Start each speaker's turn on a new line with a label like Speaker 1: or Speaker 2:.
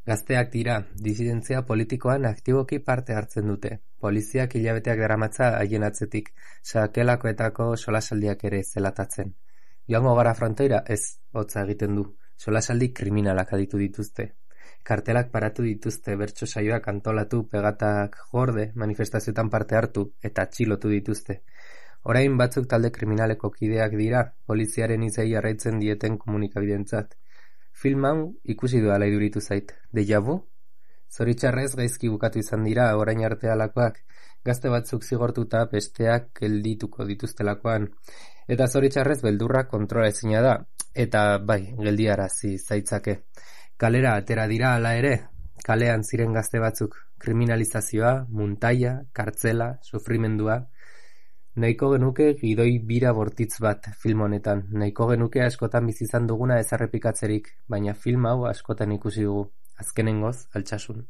Speaker 1: Gazteak dira, disidentzia politikoan aktiboki parte hartzen dute. Poliziak hilabeteak daramatza haien atzetik, sakelakoetako solasaldiak ere zelatatzen. Joango gara frontoira? Ez, hotza egiten du. Solasaldi kriminalak aditu dituzte. Kartelak paratu dituzte, bertso saioak antolatu, pegatak gorde, manifestazioetan parte hartu, eta atxilotu dituzte. Orain batzuk talde kriminaleko kideak dira, poliziaren izei jarraitzen dieten komunikabidentzat. Film hau ikusi duala iduritu zait. Deja vu? Zoritxarrez gaizki bukatu izan dira orain arte halakoak, gazte batzuk zigortuta besteak geldituko dituztelakoan. Eta zoritxarrez beldurra kontrola ezina da, eta bai, geldiarazi zaitzake. Kalera atera dira hala ere, kalean ziren gazte batzuk, kriminalizazioa, muntaia, kartzela, sufrimendua. Nahiko genuke gidoi bira bortitz bat film honetan, nahiko genuke askotan bizi izan duguna ez errepikatzerik, baina film hau askotan ikusi dugu, azkenengoz altsasun.